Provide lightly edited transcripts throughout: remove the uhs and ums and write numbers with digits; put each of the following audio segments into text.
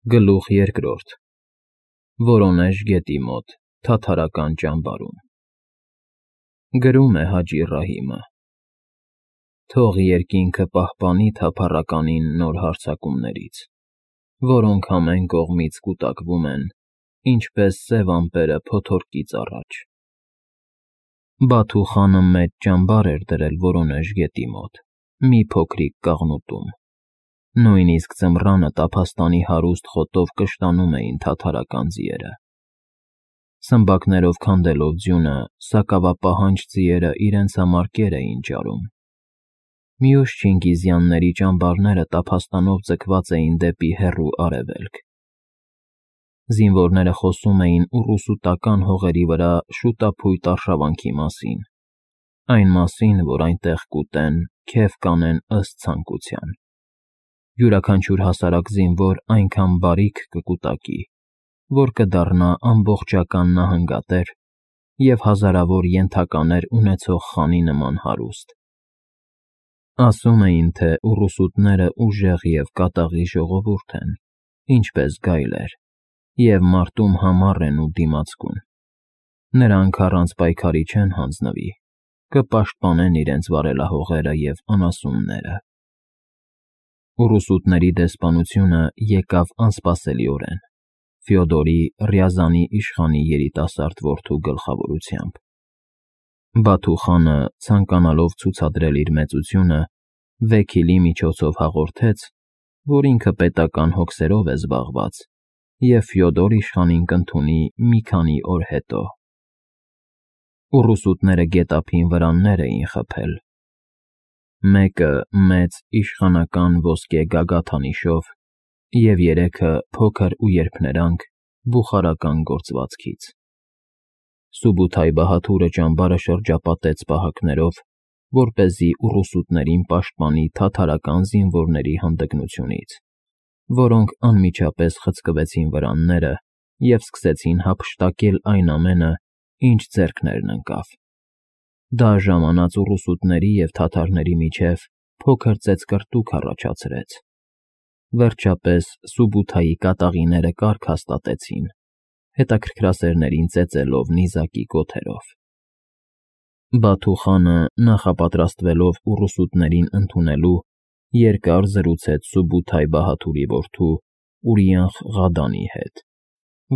Գլուխ երկրորդ Որոնեժ գետի մոտ թաթարական ճամբարում Գրում է Հաջի Ռահիմը Թող երկինքը պահպանի թափառականին նոր հարձակումներից, որոնք ամեն կողմից կուտակվում են, ինչպես սև ամպերը փոթորկից առաջ։ Բաթու խանը մեծ ճամբար էր դրել Որոնեժ գետի մոտ, մի փոքրիկ կաղնուտում։ Նույնիսկ ձմռանը տափաստանի հարուստ խոտով կշտանում էին թաթարական ձիերը։ Սմբակներով քանդելով ձյունը, սակավապահանջ ձիերը իրենց համար կեր էին ճարում։ Մյուս չինգիզյանների ճամբարները տափաստանով ձգված էին դեպի հեռու արևելք։ Զինվորները խոսում էին ուռուսուտական հողերի վրա շուտափույթ արշավանքի մասին, այն մասին, որ այնտեղ կուտեն, քեֆ կանեն ըստ ցանկության։ Յուրաքանչյուր հասարակ զինվոր այնքան բարիք կկուտակի, որ կդառնա ամբողջական նահանգատեր և հազարավոր ենթականեր ունեցող խանի նման հարուստ։ Ասում էին, թե ուռուսուտները ուժեղ և կատաղի ժողովուրդ են, ինչպես գայլեր, և մարտում համառ են ու դիմացկուն։ Նրանք առանց պայքարի չեն հանձնվի, կպաշտպանեն իրենց վարելահողերը և անասունները։ Ուռուսուտների դեսպանությունը եկավ անսպասելիորեն, Ֆյոդորի Ռյազանի իշխանի երիտասարդ որդու գլխավորությամբ։ Բաթու խանը, ցանկանալով ցուցադրել իր մեծությունը, վեքիլի միջոցով հաղորդեց, որ ինքը պետական հոգսերով է զբաղված և Ֆյոդոր իշխանին կընդունի մի քանի օր հետո։ Ուռուսուտները գետափին վրաններ էին խփել։ Մեկը մեծ իշխանական ոսկե գագաթանիշով և երեքը փոքր ու երփներանգ բուխարական գործվածքից։ Սուբութայ Բահաթուրը ճամբարը շրջապատեց պահակներով, որպեսզի ուռուսուտներին պաշտպանի թաթարական զինվորների հանդգնությունից, որոնք անմիջապես խցկվեցին վրանները և սկսեցին հափշտակել այն ամենը, ինչ ձեռքներն ընկավ։ Դա ժամանած ուռուսուտների և թաթարների միջև փոքր ծեծկռտուք առաջացրեց։ Վերջապես Սուբութայի կատաղիները կարգ հաստատեցին, հետաքրքրասերներին ծեծելով նիզակի կոթերով։ Բաթու խանը, նախապատրաստվելով ուռուսուտներին ընդունելու, երկար զրուցեց Սուբութայ Բահաթուրի որդու Ուրիանխ Ղադանի հետ,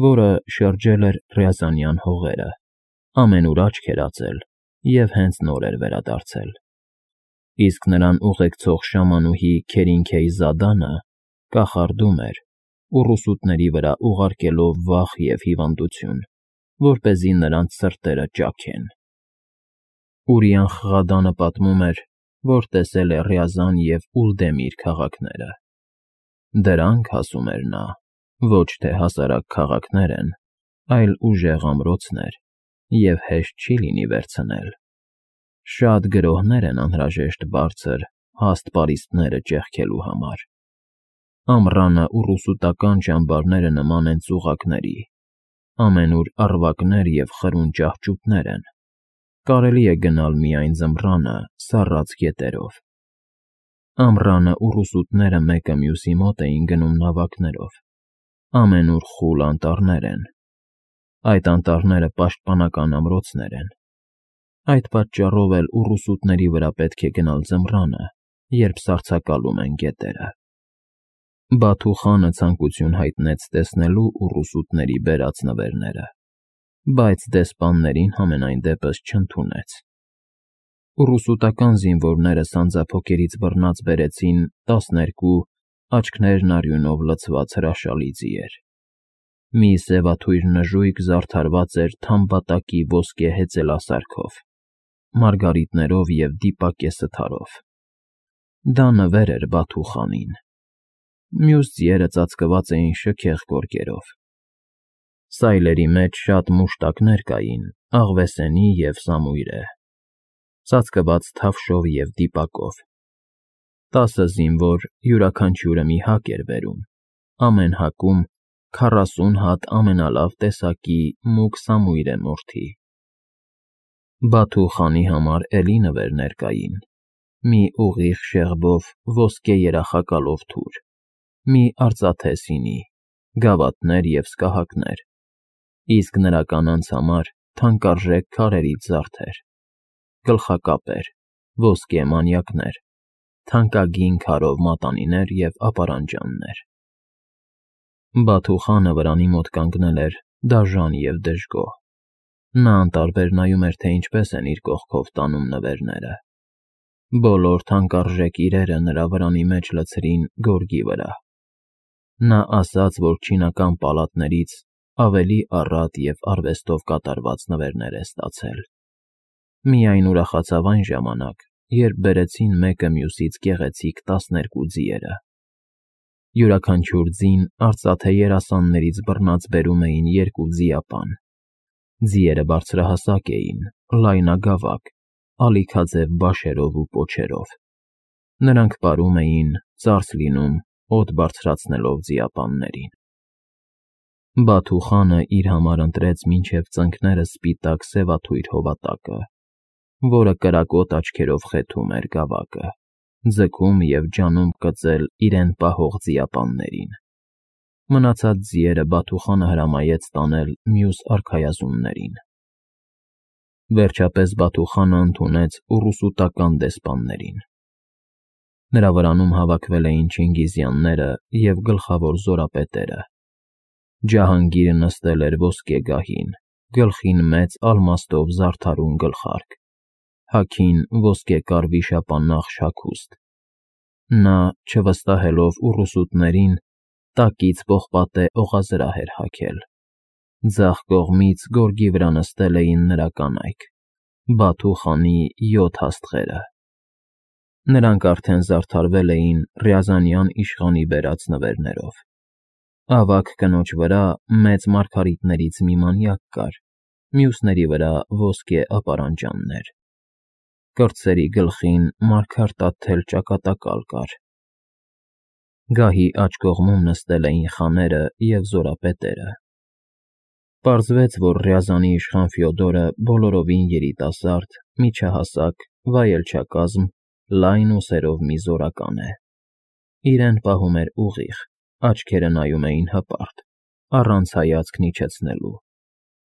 որը շրջել էր Ռյազանյան հողերը, ամենուր աչք էր ածել և հենց նոր էր վերադարձել։ Իսկ նրան ուղեկցող շամանուհի Քերինքեյզադանը կախարդում էր, ուռուսուտների վրա ուղարկելով վախ և հիվանդություն, որպեսզի նրանց սրտերը ճաքեն։ Ուրիանխ Ղադանը պատմում էր, որ տեսել է Ռյազան և Ուլդեմիր քաղաքները։ Դրանք, ասում էր նա, ոչ թե հասարակ քաղաքներ են, այլ ուժեղ ամրոցներ, և հեշտ չի լինի վերցնել։ Շատ գրոհներ են անհրաժեշտ բարձր, հաստ պարիսպները ճեղքելու համար։ Ամռանը ուռուսուտական ճամբարները նման են ծուղակների, ամենուր առվակներ և խրուն ճահճուտներ են։ Կարելի է գնալ միայն ձմռանը սառած գետերով։ Ամռանը ուռուսուտները մեկը մյուսի մոտ էին գնում նավակներով, ամենուր խուլ անտառներ են։ Այդ անտառները պաշտպանական ամրոցներ են։ Այդ պատճառով էլ ուռուսուտների վրա պետք է գնալ ձմռանը, երբ սառցակալում են գետերը։ Բաթու խանը ցանկություն հայտնեց տեսնելու ուռուսուտների բերած նվերները, բայց դեսպաններին համենայն դեպս չընդունեց։ Ուռուսուտական զինվորները սանձափոկերից բռնած բերեցին 12 աչքներն արյունով լցված հրաշալի ձիեր։ Մի սևաթույր նժույգ զարդարված էր թամբատակի ոսկե հեծելասարքով, մարգարիտներով և դիպակե սթարով։ Դա նվեր էր Բաթու խանին։ Մյուս ձիերը ծածկված էին շքեղ գորգերով։ Սայլերի մեջ շատ մուշտակներ կային աղվեսենի և սամույրե, ծածկված թավշով և դիպակով։ 10 զինվոր յուրաքանչյուրը մի հակ էր բերում, ամեն հակում 40 հատ ամենալավ տեսակի մուգ սամույրե մորթի։ Բաթու խանի համար էլի նվերներ կային. մի ուղիղ շեղբով ոսկե երախակալով թուր, մի արծաթե սինի, գավաթներ և սկահակներ, իսկ նրա կանանց համար թանկարժեք քարերից զարդեր, գլխակապեր, ոսկե մանյակներ, թանկագին քարով մատանիներ և ապարանջաններ։ Բաթու խանը վրանի մոտ կանգնել էր դաժան և դժգոհ։ Նա անտարբեր նայում էր, թե ինչպես են իր կողքով տանում նվերները։ Բոլոր թանկարժեք իրերը նրա վրանի մեջ լցրին գորգի վրա։ Նա ասաց, որ չինական պալատներից ավելի առատ և արվեստով կատարված նվերներ է ստացել։ Միայն ուրախացավ այն ժամանակ, երբ բերեցին մեկը մյուսից գեղեցիկ 12 ձիերը։ Յուրաքանչյուր ձին արծաթե երասաններից բռնած բերում էին 2 ձիապան։ Ձիերը բարձրահասակ էին, լայնագավակ, ալիքաձև բաշերով ու պոչերով։ Նրանք պարում էին, ծարս լինում, օդ բարձրացնելով ձիապաններին։ Բաթու խանը իր համար ընտրեց մինչև ծնկները սպիտակ սևաթույր հովատակը, որը կրակոտ աչքերով խեթում էր գավակը, ձգում և ջանում կծել իրեն պահող ձիապաններին։ Մնացած ձիերը Բաթու խանը հրամայեց տանել մյուս արքայազուններին։ Վերջապես Բաթու խանը ընդունեց ուռուսուտական դեսպաններին։ Նրա վրանում հավաքվել էին չինգիզյանները և գլխավոր զորապետերը։ Ջահանգիրը նստել էր ոսկե գահին, գլխին մեծ ալմաստով զարդարուն գլխարկ, հագին ոսկեկար վիշապանախ հագուստ։ Նա, չվստահելով ուռուսուտներին, տակից պողպատե օղազրահ էր հագել։ Ձախ կողմից գորգի վրա նստել էին նրա կանայք՝ Բաթու խանի 7 հաստղերը։ Նրանք արդեն զարդարվել էին Ռյազանյան իշխանի բերած նվերներով։ Ավագ կնոջ վրա մեծ մարգարիտներից մի մանյակ կար, մյուսների վրա ոսկե ապարանջաններ։ Կրտսերի գլխին մարգարտաթել ճակատակալ կար։ Գահի աջ կողմում նստել էին խաները և զորապետերը։ Պարզվեց, որ Ռյազանի իշխան Ֆյոդորը բոլորովին երիտասարդ, միջահասակ, վայելչակազմ, լայն ուսերով մի զորական է։ Իրեն պահում էր ուղիղ, աչքերը նայում էին հպարտ, առանց հայացքն իջեցնելու,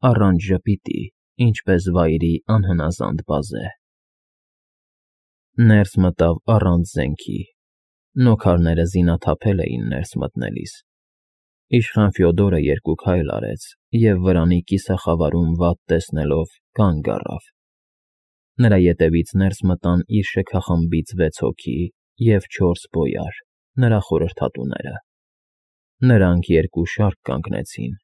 առանց ժպիտի, ինչպես վայրի անհնազանդ բազե։ Ներս մտավ առանց զենքի։ Նոքարները զինաթափել էին ներս մտնելիս։ Իշխան Ֆյոդորը 2 քայլ արեց և վրանի կիսախավարում վատ տեսնելով կանգ առավ։ Նրա ետևից ներս մտան իր շքախմբից 6 հոգի և 4 բոյար, նրա խորհրդատուները։ Նրանք 2 շարք կանգնեցին։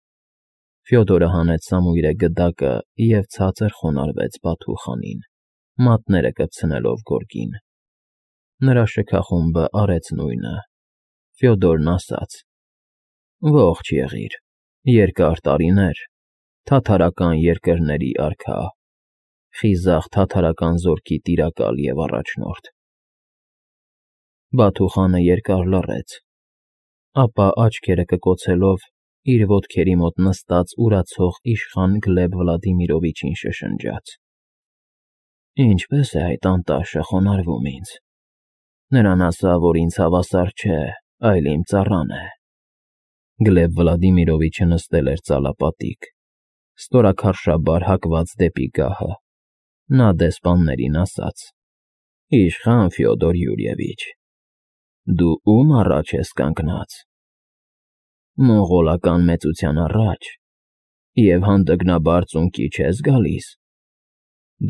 Ֆյոդորը հանեց սամույրե գդակը և ցածր խոնարհվեց Բաթու խանին, մատները կպցնելով գորգին։ Նրա շքախումբը արեց նույնը։ Ֆյոդորն ասաց. «Ողջ եղիր, երկար տարիներ, թաթարական երկրների արքա, խիզախ թաթարական զորքի տիրակալ և առաջնորդ»։ Բաթու խանը երկար լռեց, ապա աչքերը կկոցելով իր ոտքերի մոտ նստած ուրացող իշխան Գլեբ Վլադիմիրովիչին շշնջաց. «Ինչպե՞ս է այդ անտաշը խոնարհվում ինձ։ Նրան ասա, որ ինձ հավասար չէ, այլ իմ ծառան է»։ Գլեբ Վլադիմիրովիչը նստել էր ծալապատիկ, ստորաքարշաբար հակված դեպի գահը։ Նա դեսպաններին ասաց. «Իշխան Ֆյոդոր Յուրիևիչ, դու ո՞ւմ առաջ ես կանգնած։ Մոնղոլական մեծության առաջ և հանդգնաբար ծունկի չես գալիս։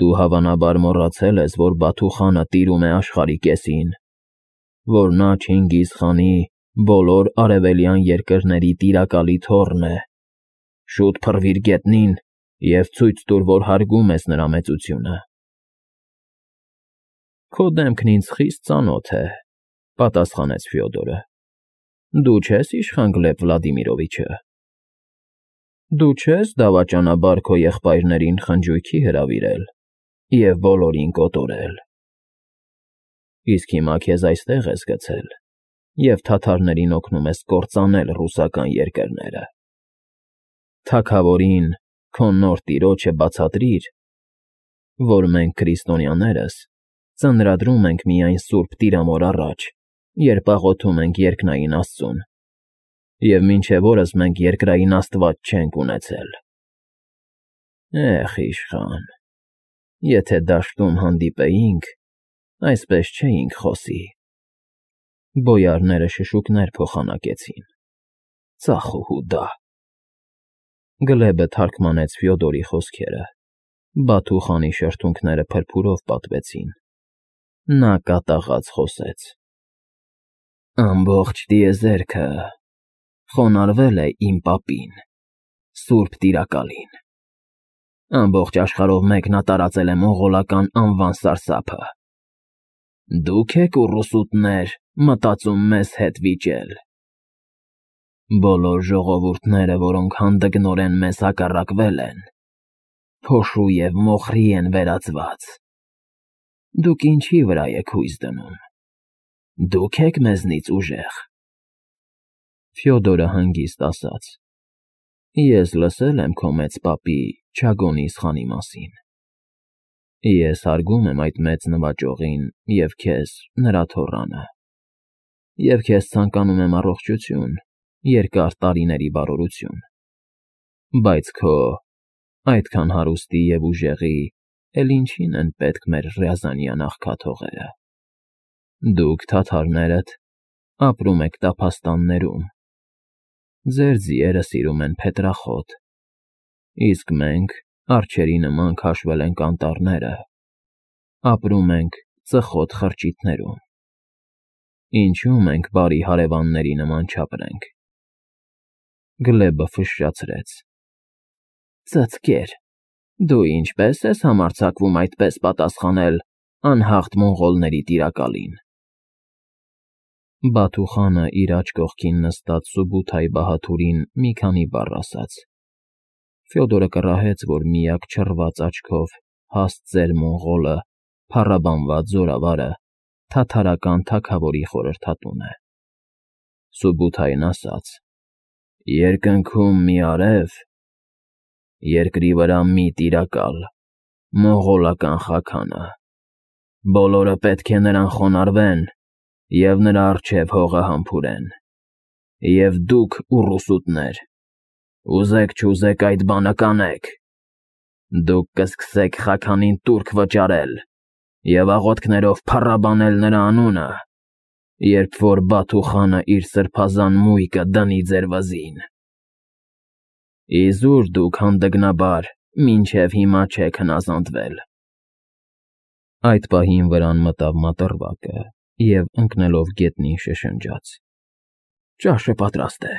Դու հավանաբար մոռացել ես, որ Բաթու խանը տիրում է աշխարհի կեսին, որ նա Չինգիզ խանի բոլոր արևելյան երկրների տիրակալի թոռն է։ Շուտ փռվիր գետնին և ցույց տուր, որ հարգում ես նրա մեծությունը»։ «Քո դեմքն ինձ խիստ ծանոթ է», պատասխանեց Ֆյոդորը։ «Դու չե՞ս իշխան Գլեբ Վլադիմիրովիչը։ Դու չե՞ս դավաճանաբար քո եղբայրներին խնջույքի հրավիրել և բոլորին կոտորել։ Իսկ հիմա քեզ այստեղ ես գցել և թաթարներին օգնում ես կործանել ռուսական երկրները։ Թագավորին, քո նոր տիրոջը բացատրիր, որ մենք, քրիստոնյաներս, ծնրադրում ենք միայն Սուրբ Տիրամոր առաջ, երբ աղոթում ենք երկնային Աստծուն, Եվ մինչև օրս մենք երկրային աստված չենք ունեցել։ Էխ, իշխան, եթե դաշտում հանդիպեինք, այսպես չէինք խոսի։ Բոյարները շշուկներ փոխանակեցին։ Ծախ ու հուդա։ Գլեբը թարգմանեց Ֆյոդորի խոսքերը։ Բաթու խանի շրթունքները փրփուրով պատվեցին։ Նա կատաղած խոսեց. Ամբողջ տիեզերքը խոնարհվել է իմ պապին, Սուրբ Տիրակալին։ Ամբողջ աշխարհով մեկ նա տարածել է մոնղոլական անվան սարսափը։ Դուք եք ուռուսուտներ մտածում մեզ հետ վիճել։ Բոլոր ժողովուրդները, որոնք հանդգնորեն մեզ հակառակվել են, փոշու և մոխրի են վերածված։ Դուք ինչի վրա եք հույս դնում։ Դուք եք մեզնից ուժեղ։ Ֆյոդորը հանգիստ ասաց. Ես լսել եմ քո մեծ պապի Չագոնիս խանի մասին։ Ես հարգում եմ այդ մեծ նվաճողին և քեզ նրա թոռանը։ Եվ քեզ ցանկանում եմ առողջություն, երկար տարիների բարօրություն։ Բայց քո այդքան հարուստի և ուժեղի էլ ինչին են պետք մեր Ռյազանյան աղքաթողերը։ Դուք, թաթարներդ, ապրում եք տափաստաններում։ Ձեր ձիերը սիրում են փետրախոտ, իսկ մենք, արջերի նման քաշվել ենք անտառները, ապրում ենք ծխոտ խրճիթներում։ Ինչու մենք բարի հարևանների նման չապրենք։ Գլեբը ֆշշացրեց. Ծծկեր, դու ինչպես ես համարձակվում այդպես պատասխանել անհաղթ մոնղոլների տիրակալին։ Բաթու խանը իր աջ կողքին նստած Սուբութայի բահաթուրին մի քանի բառ ասաց։ Ֆյոդորը կռահեց, որ միակ չռված աչքով հաստ ծեր մոնղոլը, փառաբանված զորավարը, թաթարական թագավորի խորհրդատուն է։ Սուբութային ասաց. Երկնքում մի արև, երկրի վրա մի տիրակալ, մոնղոլական խաքանը։ Բոլորը պետք է նրան խոնարհվեն և նրա առջև հողը համբուրեն։ Եվ դուք, ուռուսուտներ, ուզեք չուզեք այդ բանը կանեք։ Դուք կսկսեք խաքանին տուրք վճարել և աղոթքներով փառաբանել նրա անունը, երբ որ Բաթու խանը իր սրբազան մույկը դնի ձեր վզին։ Իզուր դուք հանդգնաբար մինչև հիմա չեք հնազանդվել։ Այդ պահին վրան մտավ մատռվակը և ընկնելով գետնին շշնջաց. Ճաշը պատրաստ է։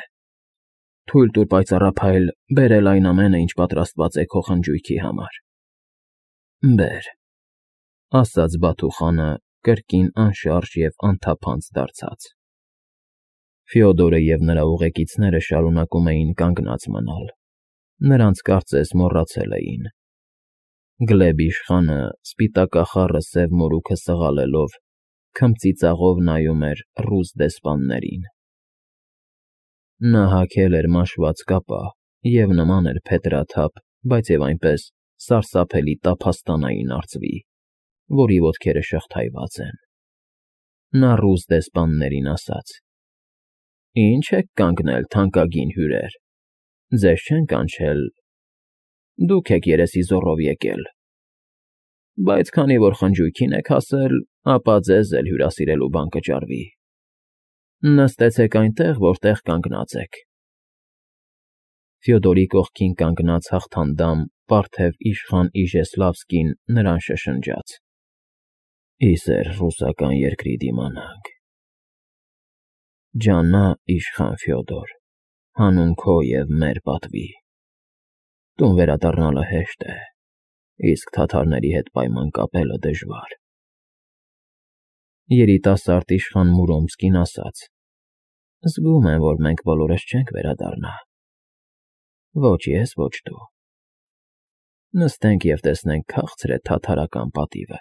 Թույլ տուր պայծառափայլ բերել այն ամենը, ինչ պատրաստված է քո խնջույքի համար։ Բեր, ասաց Բաթու խանը կրկին անշարժ և անթափանց դարձած։ Ֆյոդորը և նրա ուղեկիցները շարունակում էին կանգնած մնալ։ Նրանց կարծես մոռացել էին։ Գլեբ իշխանը սպիտակախառը սև մորուքը սղալելով քմծիծաղով նայում էր ռուս դեսպաններին։ Նա հագել էր մաշված կապա և նման էր փետրաթափ, բայց և այնպես սարսափելի տափաստանային արծվի, որի ոտքերը շղթայված են։ Նա ռուս դեսպաններին ասաց. Ինչ եք կանգնել, թանկագին հյուրեր, ձեզ չեն կանչել, դուք եք երեսի զոռով եկել։ Բայց քանի որ խնջույքին եք հասել, ապա ձեզ էլ հյուրասիրելու բան կճարվի։ Նստեցեք այնտեղ, որտեղ կանգնած եք։ Ֆյոդորի կողքին կանգնած հաղթանդամ պարթև իշխան Իժեսլավսկին նրան շշնջաց. Իսեր ռուսական երկրի դիմանանք։ Ջանա իշխան Ֆյոդոր, հանուն քո և մեր պատվի։ Տուն վերադառնալը հեշտ է, իսկ թաթարների հետ պայման կապելը դժվար։ Երիտասարդ իշխան Մուրոմսկին ասաց. Զգում եմ, որ մենք բոլորս չենք վերադառնա։ Ոչ ես, ոչ դու։ Նստենք և տեսնենք քաղցր է թաթարական պատիվը։